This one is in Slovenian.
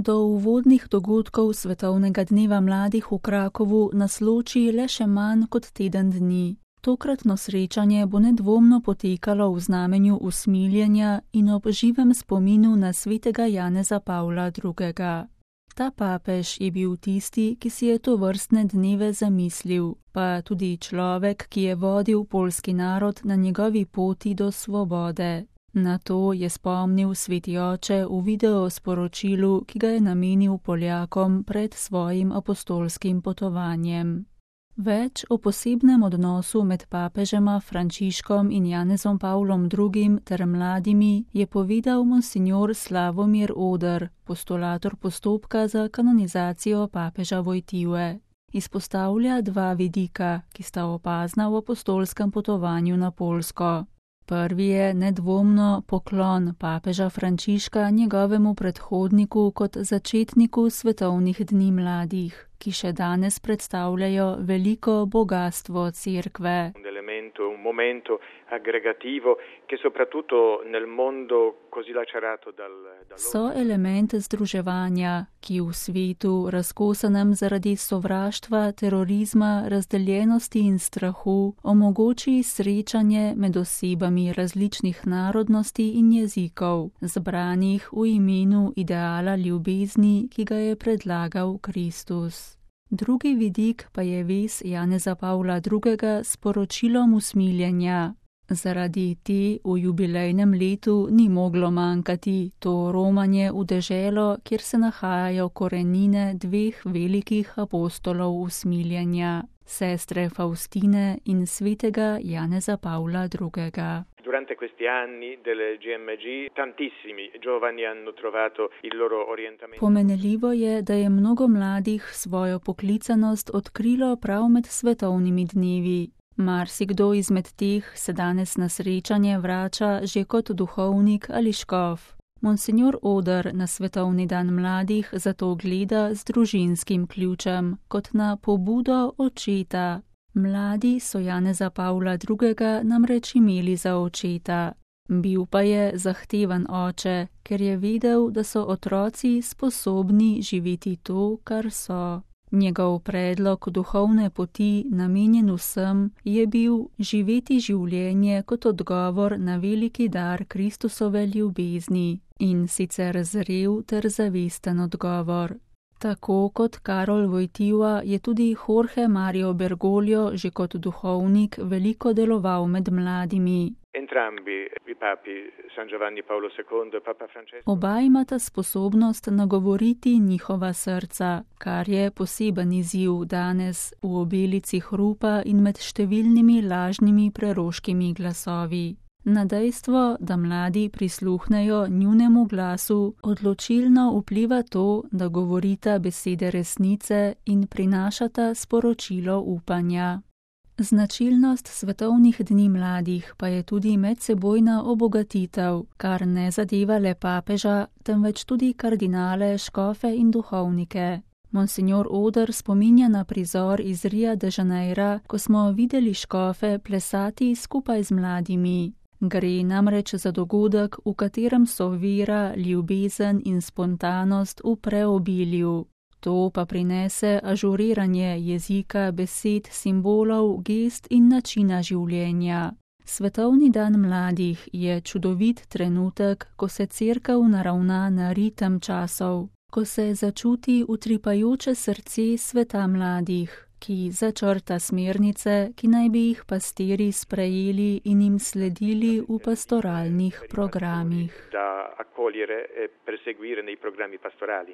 do uvodnih dogodkov Svetovnega dneva mladih v Krakovu nas loči le še manj kot teden dni. Tokratno srečanje bo nedvomno potekalo v znamenju usmiljenja in ob živem spominu na svetega Janeza Pavla II. Ta papež je bil tisti, ki si je tovrstne dneve zamislil, pa tudi človek, ki je vodil poljski narod na njegovi poti do svobode. Na to je spomnil sveti oče v videosporočilu, ki ga je namenil Poljakom pred svojim apostolskim potovanjem. Več o posebnem odnosu med papežema Frančiškom in Janezom Pavlom II. Ter mladimi je povedal monsignor Slavomir Oder, postulator postopka za kanonizacijo papeža Wojtyły. Izpostavlja dva vidika, ki sta opazna v apostolskem potovanju na Poljsko. Prvi je nedvomno poklon papeža Frančiška njegovemu predhodniku kot začetniku svetovnih dni mladih, ki še danes predstavljajo veliko bogastvo cerkve. Un momento aggregativo che soprattutto nel mondo così lacerato So element združevanja, ki v svetu razkosanem zaradi sovraštva, terorizma, razdeljenosti in strahu omogoči srečanje med osebami različnih narodnosti in jezikov, zbranih v imenu ideala ljubezni, ki ga je predlagal Kristus. Drugi vidik pa je vez Janeza Pavla II. S poročilom usmiljenja. Zaradi te v jubilejnem letu ni moglo manjkati to romanje v deželo, kjer se nahajajo korenine dveh velikih apostolov usmiljenja, sestre Faustine in svetega Janeza Pavla II. Durante questi anni del GMG tantissimi giovani hanno trovato il loro orientamento. Pomenljivo je, da je mnogo mladih svojo poklicanost odkrilo prav med svetovnimi dnevi. Marsikdo izmed teh se danes na srečanje vrača že kot duhovnik ali škof. Monsignor Oder na Svetovni dan mladih zato gleda z družinskim ključem, kot na pobudo očeta. Mladi so Janeza Pavla II. Namreč imeli za očeta. Bil pa je zahteven oče, ker je vedel, da so otroci sposobni živeti to, kar so. Njegov predlog duhovne poti, namenjen vsem, je bil živeti življenje kot odgovor na veliki dar Kristusove ljubezni, in sicer zrel ter zavesten odgovor. Tako kot Karol Wojtyła je tudi Jorge Mario Bergoglio že kot duhovnik veliko deloval med mladimi. Entrambi i papi San Giovanni Paolo II e Papa Francesco. Oba imata sposobnost nagovoriti njihova srca, kar je poseben izziv danes v obelici hrupa in med številnimi lažnimi preroškimi glasovi. Na dejstvo, da mladi prisluhnejo njunemu glasu, odločilno vpliva to, da govorita besede resnice in prinašata sporočilo upanja. Značilnost svetovnih dni mladih pa je tudi medsebojna obogatitev, kar ne zadeva le papeža, temveč tudi kardinale, škofe in duhovnike. Monsignor Oder spominja na prizor iz Ria de Janeira, ko smo videli škofe plesati skupaj z mladimi. Gre namreč za dogodek, v katerem so vera, ljubezen in spontanost v preobilju. To pa prinese ažuriranje jezika, besed, simbolov, gest in načina življenja. Svetovni dan mladih je čudovit trenutek, ko se cerkev naravna na ritem časov, ko se začuti utripajoče srce sveta mladih, ki začrta smernice, ki naj bi jih pastirji sprejeli in jim sledili v pastoralnih programih. Da accogliere e perseguire nei programmi pastorali.